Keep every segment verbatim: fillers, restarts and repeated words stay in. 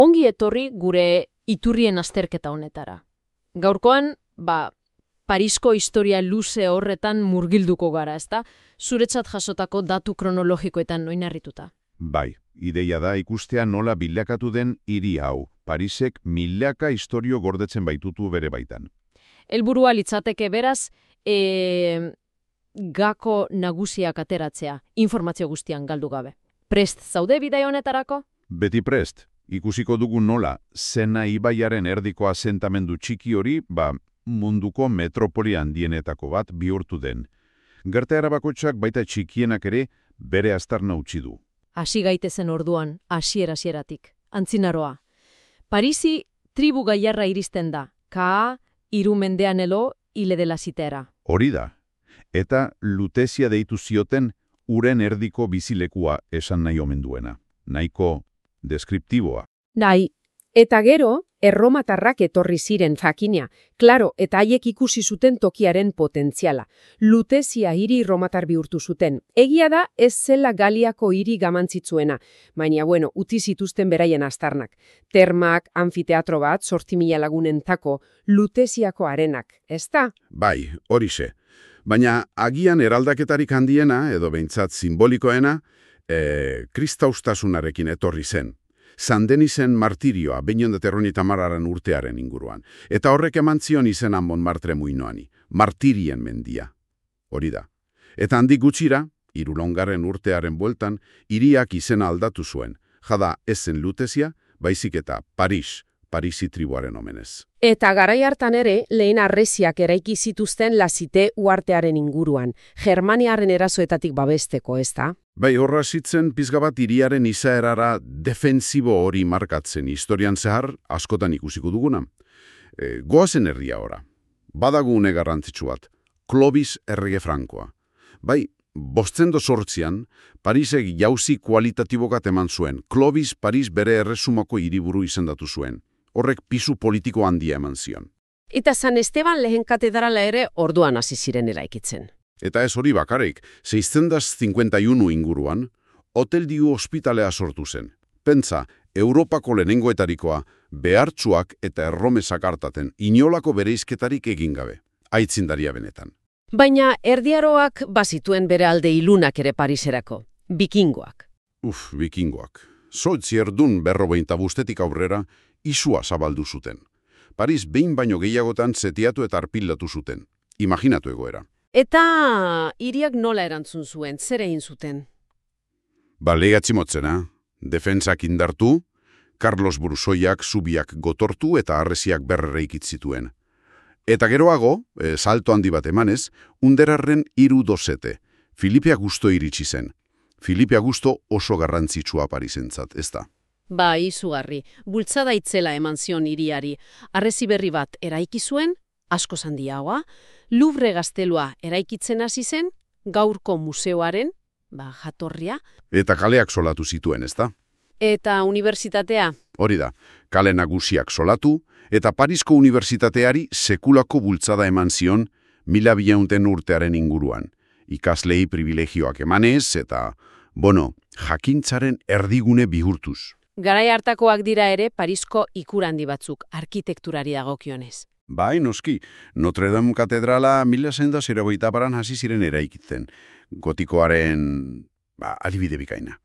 Ongi etorri gure iturrien azterketa honetara. Gaurkoan, ba, Parisko historia luze horretan murgilduko gara, ezta? Zuretzat jasotako datu kronologikoetan oinarrituta. Bai, ideia da ikustea nola bilakatu den hiri hau. Parisek milaka istorio gordetzen baitutu bere baitan. Helburua litzateke beraz, e, gako nagusiak ateratzea, informazio guztian galdu gabe. Prest zaude bidai honetarako? Beti prest. Ikusiko dugu nola, Sena ibaiaren erdiko asentamendu txiki hori, ba, munduko metropoli handienetako bat bihurtu den. Gertaera bakoitzak baita txikienak ere bere aztarna utzi du. Hasi gaitezen orduan, hasiera-hasieratik. Antzinaroa. Parisi tribu gaiarra iristen da. Kaa, hiru mendean elo, hile dela zitera. Hori da. Eta Lutesia deitu zioten uren erdiko bizilekua esan nahi omen duena. Nahiko deskriptiboa. Nahi, eta gero, erromatarrak etorri ziren jakina, klaro, eta haiek ikusi zuten tokiaren potentziala. Lutesia hiri romatar bihurtu zuten. Egia da, ez zela Galiako hiri gamantzitzuena, baina, bueno, uti zituzten beraien aztarnak. Termak, anfiteatro bat, zortzi mila lagunentako, Lutesiako arenak, ezta? Bai, horixe. Baina agian eraldaketarik handiena, edo behintzat simbolikoena, e, kristaustasunarekin etorri zen. San Denisen martirioa, behin terroni tamararen urtearen inguruan. Eta horrek eman zion izena Montmartre muinoani. Martirien mendia. Hori da. Eta handik gutxira, hirurogeigarren urtearen bueltan, hiriak izena aldatu zuen. Jada ez zen Lutesia, baizik eta Paris, Parisi tribuaren omenez. Eta garai hartan ere, lehen harresiak eraiki zituzten Lazite uhartearen inguruan, Germaniaren erasoetatik babesteko, ezta? Bai, horra zitzen pizga bat hiriaren izaerara defensibo hori markatzen historian zehar askotan ikusiko duguna. E, goazen herria ora. Badagune garrantzitsu bat, Clovis errege frankoa. Bai, bostendo sortzian, Parisek jauzi kualitatibokat eman zuen. Clovis Paris bere erresumako hiriburu izendatu zuen. Horrek pisu politiko handia eman zion. Eta San Esteban lehen katedrala ere orduan hasi ziren eraikitzen. Eta ez hori bakarrik, seiscientos cincuenta y uno inguruan, Hotel Diu ospitalea sortu zen. Pentsa, Europako lehenengoetarikoa, behartsuak eta erromesak hartaten, inolako bereizketarik egin gabe. Aitzindaria benetan. Baina erdiaroak bazituen bere alde ilunak ere Pariserako. Bikingoak. Uf, bikingoak. Zortzi erdun berrogeita bustetik aurrera, isua zabaldu zuten. Paris behin baino gehiagotan zetiatu eta arpildatu zuten. Imaginatu egoera. Eta hiriak nola erantzun zuen, zer egin zuten? Ba, legatzi motzena, defentsak indartu, Carlos Brusoiak zubiak gotortu eta harresiak berrereikit zituen. Eta geroago, e, salto handi bat emanez, underarren hiru dosete. Filipe Augusto iritsi zen. Filipe Augusto oso garrantzitsua Parisentzat, ez da? Ba, izugarri, bultzada itzela eman zion hiriari. Harresi berri bat eraiki zuen, asko handiagoa, Louvre gaztelua eraikitzen hasi zen, gaurko museoaren, ba, jatorria. Eta kaleak solatu zituen, ez da? Eta unibertsitatea? Hori da, kale nagusiak solatu, eta Parisko unibertsitateari sekulako bultzada eman zion mila biehunten urtearen inguruan. Ikaslei privilegioak emanez, eta, bono, jakintzaren erdigune bihurtuz. Garai hartakoak dira ere Parisko ikur handi batzuk, arkitekturari dagokionez. Bai, noski, Notre Dame katedrala mila zenda zerogeita baran hasi ziren eraikitzen, gotikoaren, ba, adibide bikaina.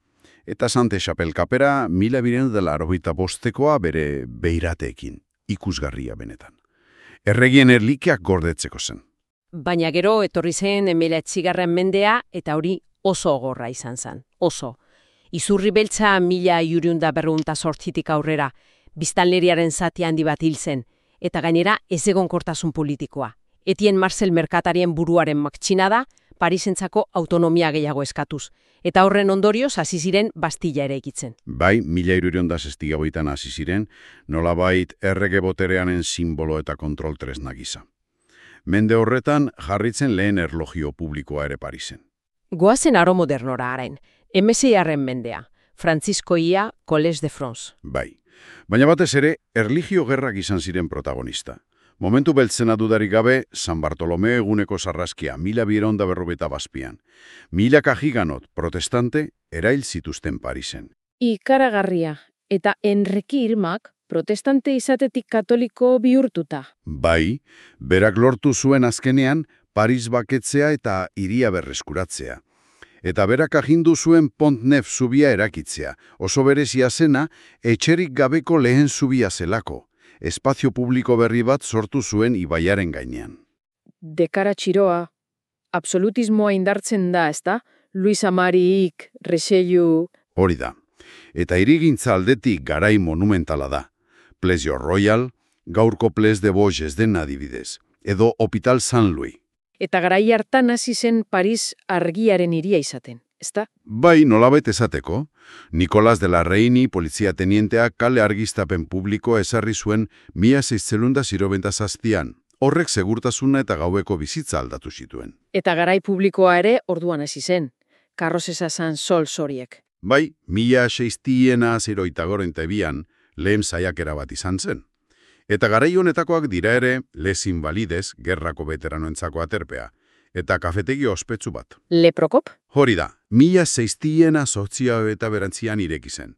Eta Sante Chapelle kapera mila biren dela arogeita bostekoa bere beirateekin, ikusgarria benetan. Erregien erlikeak gordetzeko zen. Baina gero etorri zen hemeretzigarren mendea eta hori oso gogorra izan zen, oso. Izurri beltza mila hirurehun berrogeita zortzitik aurrera, biztanleriaren zati handi bat hil zen, eta gainera ezegonkortasun politikoa. Etien Marcel merkatarien buruaren matxinada, Parisentzako autonomia gehiago eskatuz, eta horren ondorioz hasi ziren Bastilla eraikitzen. Bai, mila hirurehun eta zazpian hasi ziren, nolabait errege botereanen simbolo eta kontrol tresna gisa. Mende horretan jarritzen lehen erlogio publikoa ere Parisen. Goazen aro modernora harain, hemezeigarren mendea, Francisco Ia, Collège de France. Bai, baina batez ere, erlijio gerrak izan ziren protagonista. Momentu beltzena dudarik gabe, San Bartolomeo eguneko sarraskia, mila biehun eta berrogeita zazpian. Milaka giganot protestante erail zituzten Parisen. Ikaragarria, Eta Enreki Irmak protestante izatetik katoliko bihurtuta. Bai, berak lortu zuen azkenean Paris baketzea eta hiria berreskuratzea. Eta berak agindu zuen Pont Neuf zubia erakitzea, oso berezia zena, etxerik gabeko lehen zubia zelako. Espazio publiko berri bat sortu zuen ibaiaren gainean. Dekara txiroa, absolutismoa indartzen da, ezta? Luis Amariik, Richelieu... Hori da. Eta hirigintza aldetik garai monumentala da. Plesio Royal, gaurko Ples de Vosges den adibidez, edo Hospital Saint-Louis. Eta garai hartan hasi zen Paris argiaren hiria izaten, ezta? Bai, nolabait esateko, Nicolas de la Reini polizia tenienteak kale argiztapen publiko ezarri zuen mila seiscientos hirurogeita zazpian. Horrek segurtasuna eta gaueko bizitza aldatu zituen. Eta garai publikoa ere orduan hasi zen. Karrozesa zan sol zoriek. Bai, mila seistiena zeroita goreita ebian lehen saiakera bat izan zen. Eta garai honetakoak dira ere Les Invalides, gerrako veteranoentzako aterpea, eta kafetegi ospetsu bat. Le Prokop? Hori da, mila seistiena sortzia eta berantzian ireki zen.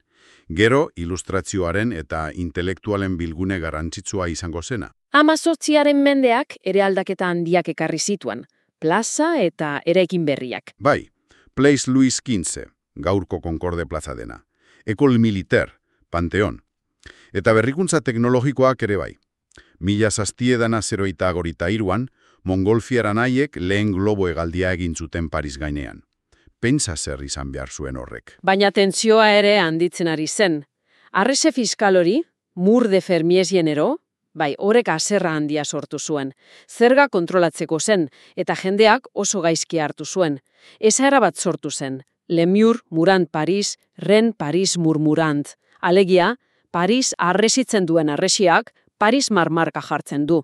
Gero, ilustrazioaren eta intelektualen bilgune garrantzitsua izango zena. Hamazortziaren mendeak ere aldaketa handiak ekarri zituen, plaza eta eraikin berriak. Bai, Place Louis quinze, gaurko Concorde plaza dena. École Militaire, Panteon. Eta berrikuntza teknologikoak ere bai. Mila zaztiedana zeroita gorita iruan, mongolfiaran haiek lehen globo hegaldia egin zuten Paris gainean. Pentsa zer izan behar zuen horrek. Baina tentsioa ere handitzen ari zen. Arrese fiskal hori, Mur de Fermies genero, bai, horrek haserra handia sortu zuen. Zerga kontrolatzeko zen, eta jendeak oso gaizki hartu zuen. Esaera bat sortu zen. Le Mur, Murant Paris, Ren Paris murmurant. Alegia, Paris arresitzen duen arresiak, Paris marmarka jartzen du.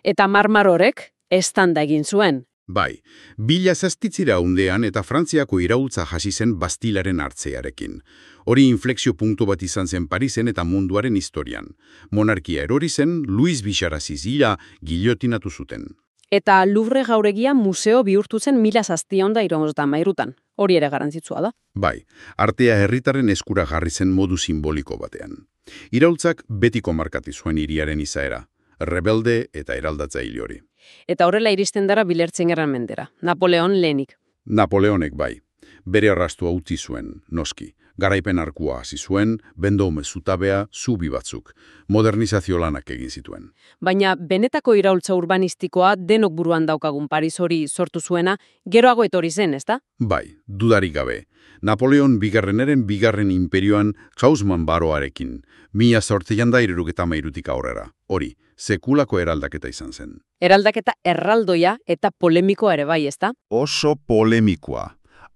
Eta marmar horrek, estanda egin zuen. Bai, bila zaztitzira undean eta Frantziako iraultza hasi zen Bastilaren hartzearekin. Hori inflexio punktu bat izan zen Parisen eta munduaren historian. Monarkia erori zen, Louis Bixaraziz hila giliotinatu zuten. Eta Louvre jauregia museo bihurtu zen mila zazpiehun eta hirurogeita hamairutan. Hori ere garrantzitsua da. Bai, artea herritaren eskura jarri zen modu simboliko batean. Iraultzak betiko markatu zuen hiriaren izaera, rebelde eta eraldatzaile hori. Eta horrela iristen dara bilertzen gerran mendera. Napoleon lehenik. Napoleonek bai. Bere arrastua utzi zuen, noski. Garaipen arkua hasi zuen, bendaume zutabea, zubi batzuk. Modernizazio lanak egin zituen. Baina benetako iraultza urbanistikoa denok buruan daukagun Paris hori sortu zuena, geroago etorri zen, ezta? Bai, dudarik gabe. Napoleon bigarreneren bigarren imperioan Haussmann baroarekin, mila zortzian da hirurogeita hamairutik aurrera. Hori, sekulako eraldaketa izan zen. Eraldaketa erraldoia eta polemikoa ere bai, ezta? Oso polemikoa.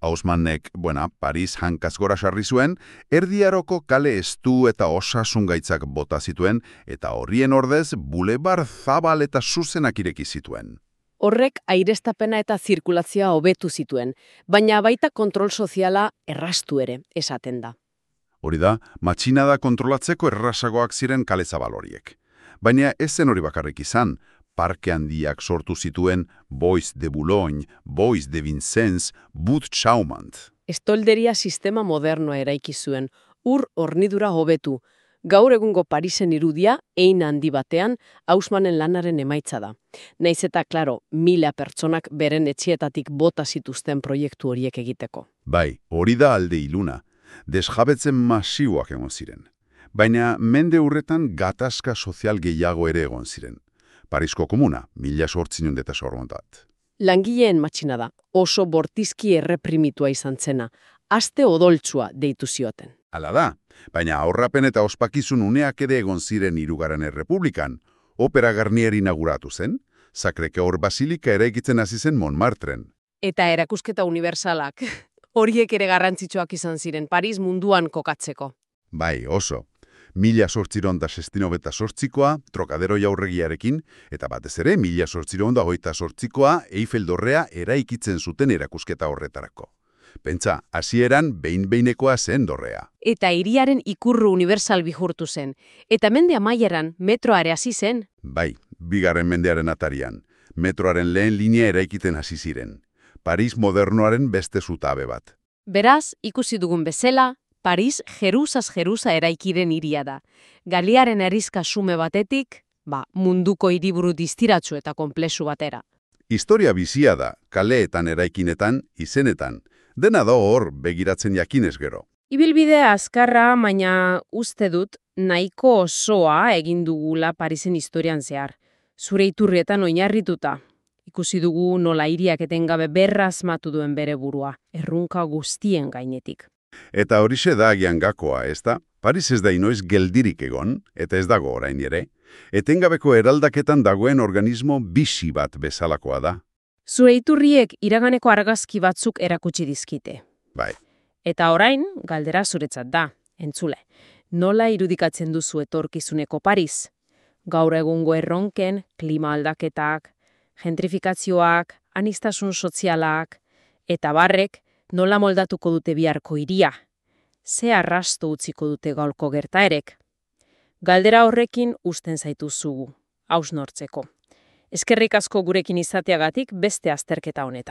Haussmannek, buena, Paris hankaz gora sarri zuen, erdiaroko kale estu eta osasun gaitzak bota zituen, eta horrien ordez bulebar zabal eta zuzenak ireki zituen. Horrek aireztapena eta zirkulazioa hobetu zituen, baina baita kontrol soziala errastu ere, esaten da. Hori da, matxinada kontrolatzeko errasagoak ziren kale zabal horiek. Baina ez zen hori bakarrik izan, parke handiak sortu zituen Bois de Boulogne, Bois de Vincennes, But Chaumont. Estolderia sistema modernoa eraiki zuen, ur hornidura hobetu. Gaur egungo Parisen irudia, ein handi batean, Haussmannen lanaren emaitza da. Naiz eta, klaro, mila pertsonak beren etxietatik bota zituzten proiektu horiek egiteko. Bai, hori da alde iluna. Desjabetzen masiboak egon ziren. Baina mende urretan gatazka sozial gehiago ere egon ziren. Parisko komuna, mila sortzinon eta sorgontat. Langileen matxina da, oso bortizki erreprimitua izan zena, aste odoltsua deitu zioten. Hala da, baina aurrapen eta ospakizun uneak ere egon ziren hirugarren errepublikan, Opera Garnier inauguratu zen, Sacré-Cœur Basilika eraikitzen hasi zen Montmartren. Eta erakusketa unibertsalak, horiek ere garrantzitsuak izan ziren Paris munduan kokatzeko. Bai, oso. Mila sortziron da sestino beta sortzikoa, Trokadero jaurregiarekin, eta batez ere mila sortziron da hoita sortzikoa Eiffel dorrea eraikitzen zuten erakusketa horretarako. Pentsa, hasieran behin-behinekoa zen dorrea. Eta hiriaren ikurru universal bihurtu zen. Eta mende amaieran metroare hasi zen. Bai, bigarren mendearen atarian. Metroaren lehen linea eraikiten hasi ziren. Paris modernoaren beste zutabe bat. Beraz, ikusi dugun bezala, Paris jeruzaz jeruza eraikiren hiria da. Galiaren herrizka sume batetik, ba, munduko hiriburu distiratsu eta konplexu batera. Historia bizia da, kaleetan eraikinetan, izenetan. Dena da hor begiratzen jakinez gero. Ibilbide azkarra, baina uste dut nahiko osoa egin dugula Parisen historian zehar. Zure iturrietan oinarrituta. Ikusi dugu nola hiriak etengabe berrazmatu duen bere burua, errunka guztien gainetik. Eta horixe da agian gakoa, ez da? Paris ez da inoiz geldirik egon, eta ez dago orain ere. Etengabeko eraldaketan dagoen organismo bizi bat bezalakoa da. Zure iturriek iraganeko argazki batzuk erakutsi dizkite. Bai. Eta orain, galdera zuretzat da, entzule. Nola irudikatzen duzu etorkizuneko Paris? Gaur egungo erronken, klima aldaketak, gentrifikazioak, aniztasun sozialak, eta barrek nola moldatuko dute biharko hiria? Ze arrasto utziko dute gaurko gertaerek? Galdera horrekin uzten zaituzugu, hausnortzeko. Eskerrik asko gurekin izateagatik beste azterketa honetan.